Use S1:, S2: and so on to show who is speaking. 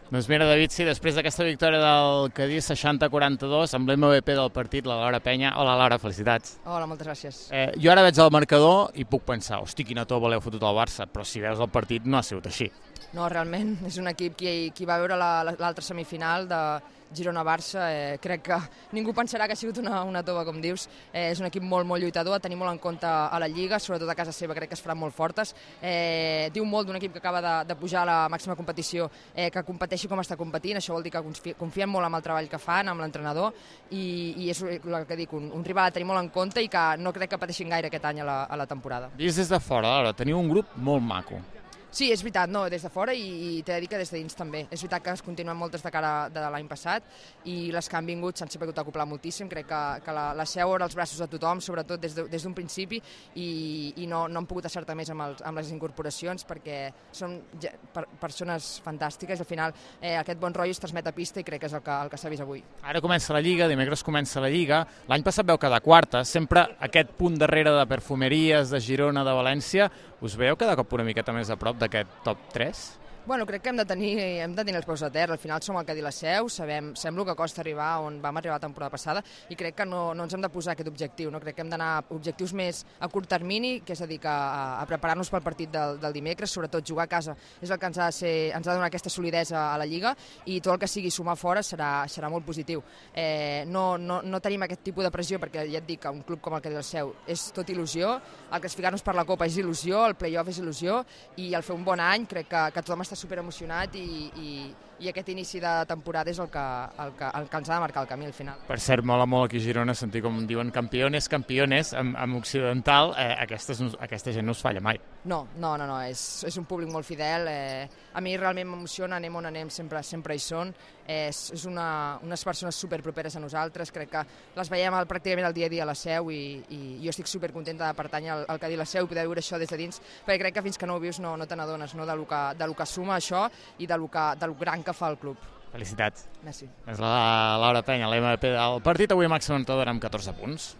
S1: Doncs mira, David, sí, després d'aquesta victòria del Cadí 60-42, amb l'MVP del partit, la Laura Penya. Hola, Laura, felicitats.
S2: Hola, moltes gràcies.
S1: Jo ara veig el marcador i puc pensar, hosti, quina tova l'heu fotut al Barça, però si veus el partit no ha sigut així.
S2: No, realment, és un equip qui va veure l'altra semifinal de Girona-Barça. Crec que ningú pensarà que ha sigut una tova, com dius. És un equip molt lluitador, a tenir molt en compte a la Lliga, sobretot a casa seva crec que es faran molt fortes. Diu molt d'un equip que acaba de pujar a la màxima competició, que competeixi com està competint. Això vol dir que confiem molt en el treball que fan, amb l'entrenador, i és el que dic, un rival a tenir molt en compte i que no crec que pateixin gaire aquest any a la temporada.
S1: Vist des de fora, Laura, teniu un grup molt maco.
S2: Sí, és veritat, no, des de fora i t'he de dir que des de dins també. És veritat que es continuen moltes de cara de l'any passat i les que han vingut s'han sabut acoplar moltíssim. Crec que la Seu era als braços de tothom, sobretot des d'un principi, i no han pogut acertar més amb les incorporacions perquè són persones fantàstiques. Al final aquest bon rotllo es transmet a pista i crec que és el que s'ha vist avui.
S1: Ara comença la Lliga, dimecres comença la Lliga. L'any passat veu quedar quarta, sempre aquest punt darrere de Perfumeries, de Girona, de València. Us veieu cada cop una miqueta més a prop d'aquest top 3?
S2: Bueno, crec que hem de tenir els peus a terra. Al final som el Cadí la Seu, sabem el que costa arribar on vam arribar la temporada passada i crec que no ens hem de posar aquest objectiu. No? Crec que hem d'anar a objectius més a curt termini, que és a dir, a preparar-nos pel partit del dimecres, sobretot jugar a casa és el que ens ha de donar aquesta solidesa a la Lliga, i tot el que sigui sumar fora serà molt positiu. No tenim aquest tipus de pressió perquè ja et dic que un club com el Cadí la Seu és tot il·lusió, el classificar-nos per la Copa és il·lusió, el play-off és il·lusió, i el fer un bon any crec que tothom està superemocionat i aquest inici de temporada és el que ens ha de marcar el camí al final.
S1: Per cert, mola molt aquí a Girona sentir com diuen campiones, amb occidental. Aquesta gent no us falla mai.
S2: No, és un públic molt fidel. A mi realment m'emociona, anem on anem, sempre hi són. És unes persones superproperes a nosaltres, crec que les veiem pràcticament el dia a dia a la Seu i jo estic supercontenta de pertànyer al Cadí la Seu i poder viure això des de dins, perquè crec que fins que no ho vius no te n'adones del que suma això i del gran que fa el club.
S1: Felicitats.
S2: Merci.
S1: És la Laura Penya, l'MVP del partit, avui a Màxim Montador amb 14 punts.